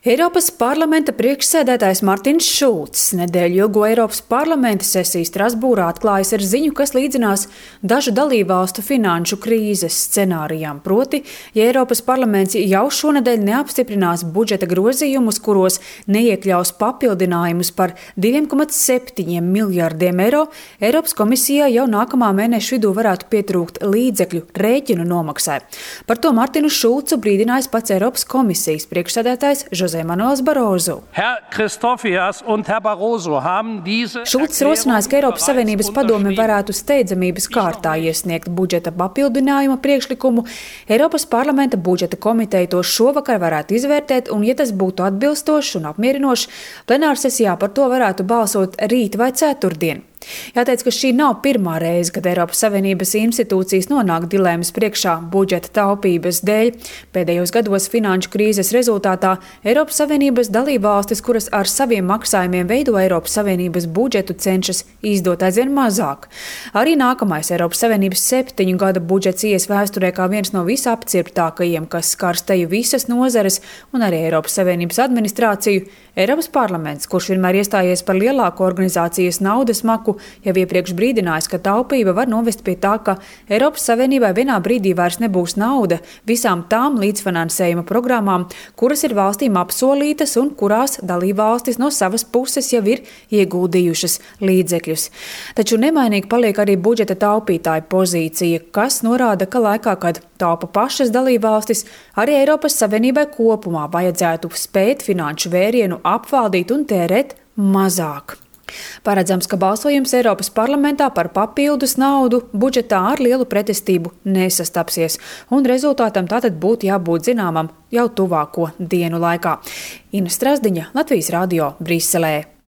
Eiropas parlamenta priekšsēdētājs Martins Šulcs nedēļu ilgo Eiropas parlamenta sesiju Strasbūrā atklājis ar ziņu, kas līdzinās dažu dalībvalstu finanšu krīzes scenārijām. Proti, ja Eiropas parlaments jau šonedēļ neapstiprinās budžeta grozījumus, kuros neiekļaus papildinājumus par 2,7 miljārdiem eiro, Eiropas komisijā jau nākamā mēneša vidū varētu pietrūkt līdzekļu rēķinu nomaksai. Par to Martinu Šulcu brīdinājis pats Eiropas komisijas priekšsēdētājs José Manuels Barroso. Šulcs rosinājis, ka Eiropas Savienības padome varētu steidzamības kārtā iesniegt budžeta papildinājuma priekšlikumu. Eiropas parlamenta budžeta komiteja to šovakar varētu izvērtēt, un, ja tas būtu atbilstošs un apmierinošs, plenārsesijā par to varētu balsot rīt vai ceturtdien. Jāteic, ka šī nav pirmā reize, kad Eiropas Savienības institūcijas nonāk dilēmas priekšā budžeta taupības dēļ. Pēdējos gados finanšu krīzes rezultātā Eiropas Savienības dalībvalstis, kuras ar saviem maksājumiem veido Eiropas Savienības budžetu, cenšas izdot aizvien mazāk. Arī nākamais Eiropas Savienības 7 gada budžets ies vēsturē kā viens no visapcirptākajiem, kas skars teju visas nozares un arī Eiropas Savienības administrāciju. Eiropas parlaments, kurš vienmēr iestājies par lielāku organizācijas naudas maku, jau iepriekš brīdinājis, ka taupība var novest pie tā, ka Eiropas Savienībai vienā brīdī vairs nebūs nauda visām tām līdzfinansējuma programmām, kuras ir valstīm apsolītas un kurās dalībvalstis no savas puses jau ir ieguldījušas līdzekļus. Taču nemainīgi paliek arī budžeta taupītāja pozīcija, kas norāda, ka laikā, kad taupa pašas dalībvalstis, arī Eiropas Savienībai kopumā vajadzētu spēt finanšu vērienu apvaldīt un tērēt mazāk. Paredzams, ka balsojums Eiropas parlamentā par papildus naudu budžetā ar lielu pretestību nesastapsies, un rezultātam tātad būtu jābūt zināmam jau tuvāko dienu laikā. Ina Strazdiņa, Latvijas radio, Briselē.